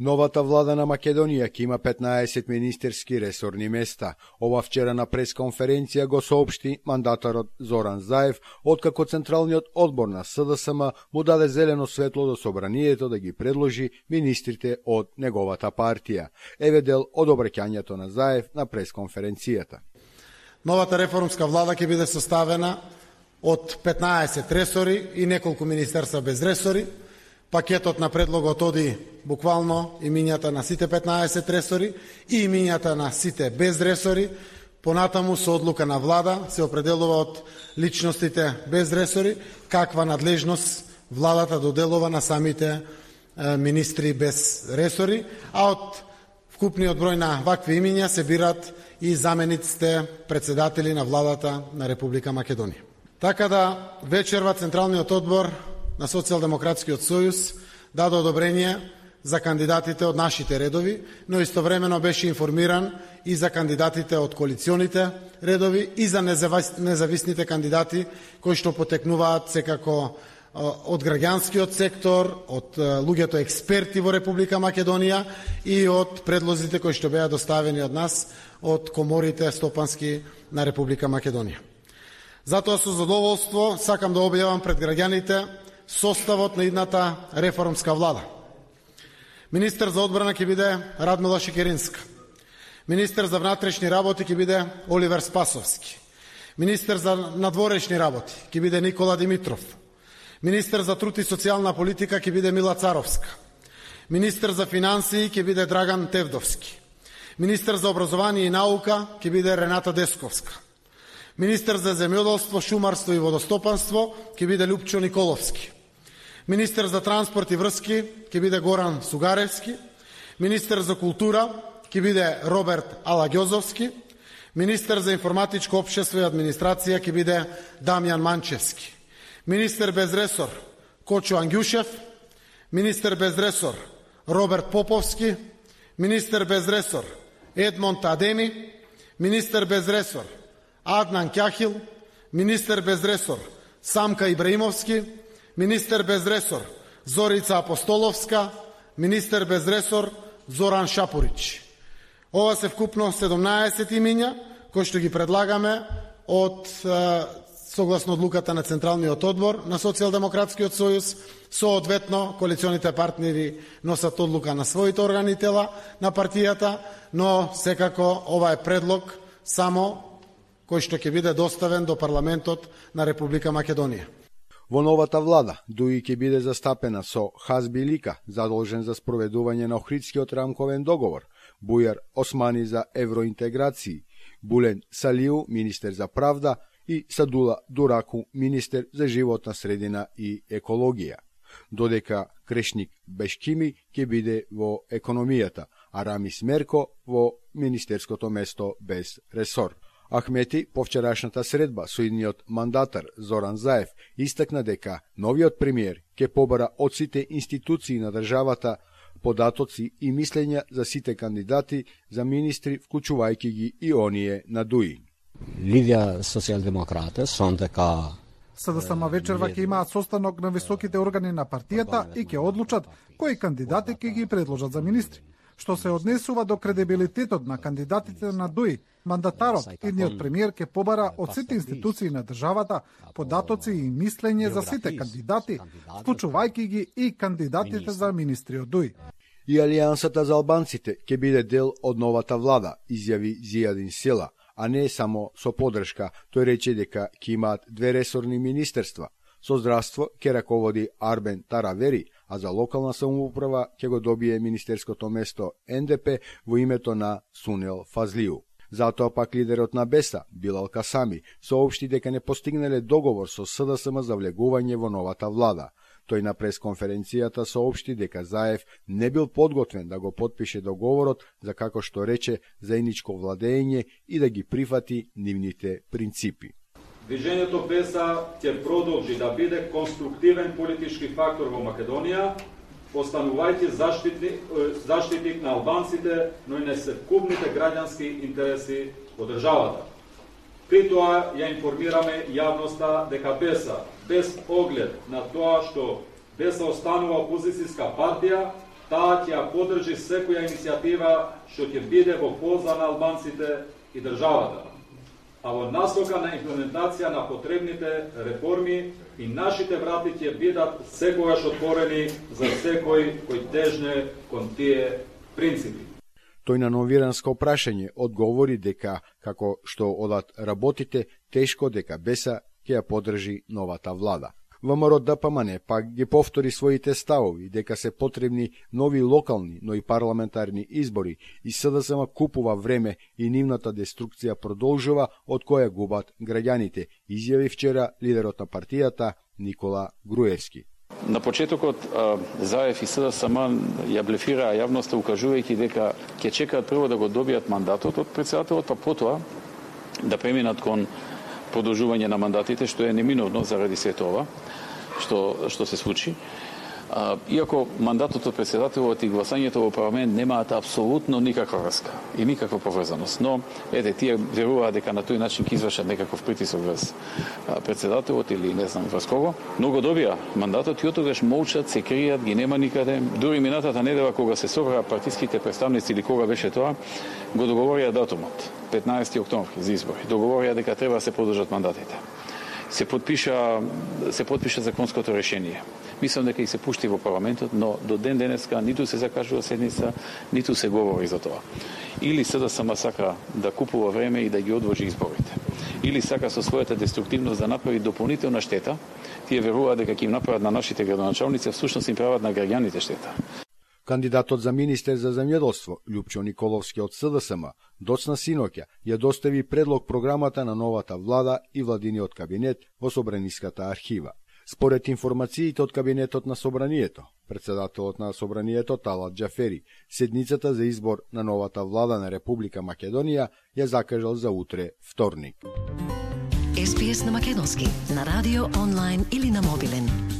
Новата влада на Македонија ќе има 15 министерски ресорни места. Ова вчера на пресконференција го соопшти мандатарот Зоран Заев, откако Централниот одбор на СДСМ му даде зелено светло до собранието да ги предложи министрите од неговата партија. Еве дел од обраќањето на Заев на пресконференцијата. Новата реформска влада ќе биде составена од 15 ресори и неколку министерства без ресори. Пакетот на предлогот оди буквално имињата на сите 15 ресори и имињата на сите без ресори. Понатаму со одлука на влада се определува од личностите без ресори каква надлежност владата доделува на самите министри без ресори, а од вкупниот број на вакви имиња се бират и замениците председатели на владата на Република Македонија. Така да вечерва Централниот одбор на Социјалдемократскиот сојуз даде одобрение за кандидатите од нашите редови, но истовремено беше информиран и за кандидатите од коалиционите редови и за независните кандидати кои што потекнуваат секако од граѓанскиот сектор, од луѓето експерти во Република Македонија и од предлозите кои што беа доставени од нас од коморите стопански на Република Македонија. Затоа со задоволство сакам да објавам пред граѓаните составот на идната реформска влада. Министер за одбрана ќе биде Радмила Шекеринска. Министер за внатрешни работи ќе биде Оливер Спасовски. Министер за надворешни работи ќе биде Никола Димитров. Министер за труд и социјална политика ќе биде Мила Царовска. Министер за финансии ќе биде Драган Тевдовски. Министер за образование и наука ќе биде Рената Десковска. Министер за земјоделство, шумарство и водостопанство ќе биде Лупчо Николовски. Министер за транспорт и врски ќе биде Горан Сугаревски. Министер за култура ќе биде Роберт Алагјозовски. Министер за информатичко општество и администрација ќе биде Дамјан Манчевски. Министер без ресор Кочо Ангјушев. Министер без ресор Роберт Поповски. Министер без ресор Едмонд Адеми. Министер без ресор Аднан Кјахил. Министер без ресор Самка Ибраимовски. Министер без ресор Зорица Апостоловска. Министер без ресор Зоран Шапурич. Ова се вкупно 17 имиња кои што ги предлагаме од согласно одлуката на Централниот одбор на Социјалдемократскиот сојуз. Соодветно коалиционите партнери носат одлука на своите органи тела на партијата, но секако ова е предлог само кој што ќе биде доставен до парламентот на Република Македонија. Во новата влада, Дуи ќе биде застапена со Хазби Лика, задолжен за спроведување на Охридскиот рамковен договор, Бујар Османи за евроинтеграции, Булен Салиу, министер за правда, и Садула Дураку, министер за животна средина и екологија. Додека Крешник Бешкими ќе биде во економијата, а Рамис Мерко во министерското место без ресор. Ахмети по вчерашната средба со идниот мандатар Зоран Заев истакна дека новиот премиер ќе побара од сите институции на државата податоци и мислења за сите кандидати за министри, вклучувајќи ги и оние на Дуи. Лидија социјалдемократе сон дека СДСМ вечерва ќе имаат состанок на високите органи на партијата и ќе одлучат кои кандидати ќе ги предложат за министри. Што се однесува до кредибилитетот на кандидатите на Дуи, мандатарот, идниот премиер ќе побара од сите институции на државата податоци и мислење за сите кандидати, вклучувајќи ги и кандидатите за министри од Дуи. И Алијансата за албанците ќе биде дел од новата влада, изјави Зијадин Села, а не само со подршка. Тој рече дека ќе имаат 2 ресорни министерства. Со здравство ќе раководи Арбен Таравери, а за локална самоуправа ќе го добие министерското место НДП во името на Сунел Фазлиу. Затоа пак лидерот на Беса, Билал Касами, соопшти дека не постигнале договор со СДСМ за влегување во новата влада. Тој на пресконференцијата соопшти дека Заев не бил подготвен да го потпише договорот за, како што рече, заедничко владење и да ги прифати нивните принципи. Движењето Беса ќе продолжи да биде конструктивен политички фактор во Македонија, останувајќи заштитник на албанците, но и несекупните граѓански интереси во државата. При тоа ја информираме јавноста дека Беса, без оглед на тоа што Беса останува опозицијска партија, таа ќе ја поддржи секоја иницијатива што ќе биде во полза на албанците и државата, а во насока на имплементација на потребните реформи и нашите врати ќе бидат секогаш отворени за секој кој тежне кон тие принципи. Тој на новиранско прашање одговори дека, како што одат работите, тешко дека БЕСА ќе ја поддржи новата влада. ВМРО ДПМН пак ги повтори своите ставови дека се потребни нови локални, но и парламентарни избори и СДСМ купува време и нивната деструкција продолжува од која губат граѓаните, изјави вчера лидерот на партијата Никола Груевски. На почетокот ЗАЕФ и СДСМ ја блефираа јавноста укажувајќи дека ќе чекаат прво да го добијат мандатот од претседателот, па потоа да преминат кон продолжување на мандатите, што е неминовно заради сето ова што се случи. Иако мандатот од претседателот и гласањето во парламент немаат апсолутно никаква врска и никаква поврзаност, но тие веруваат дека на тој начин ќе извршат некаков притисок врз претседателот или не знам врз кого, но го добија мандатот и оттогаш молчат, се кријат, ги нема никаде. Дури минатата недела кога се собраа партиските представници или кога беше тоа, го договорија датумот 15 октомври за избори. Договорија дека треба да се подржат мандатите. Се подпиша законското решение. Мислам дека и се пушти во парламентот, но до ден денеска ниту се закажува седница, ниту се говори за тоа. Или СДСМ сака да купува време и да ги одложи изборите. Или сака со својата деструктивност да направи дополнителна штета. Тие веруваат дека ќе им направат на нашите градоначалници, а всушност им прават на граѓаните штета. Кандидатот за министер за земјоделство, Љупчо Николовски од СДСМ, доцна синоќа ја достави предлог програмата на новата влада и владиниот кабинет во Собраниската архива. Според информациите од кабинетот на Собранието, председателот на Собранието Талат Џафери, седницата за избор на новата влада на Република Македонија ја закажал за утре, вторник. SPS на македонски, на радио, онлайн или на мобилен.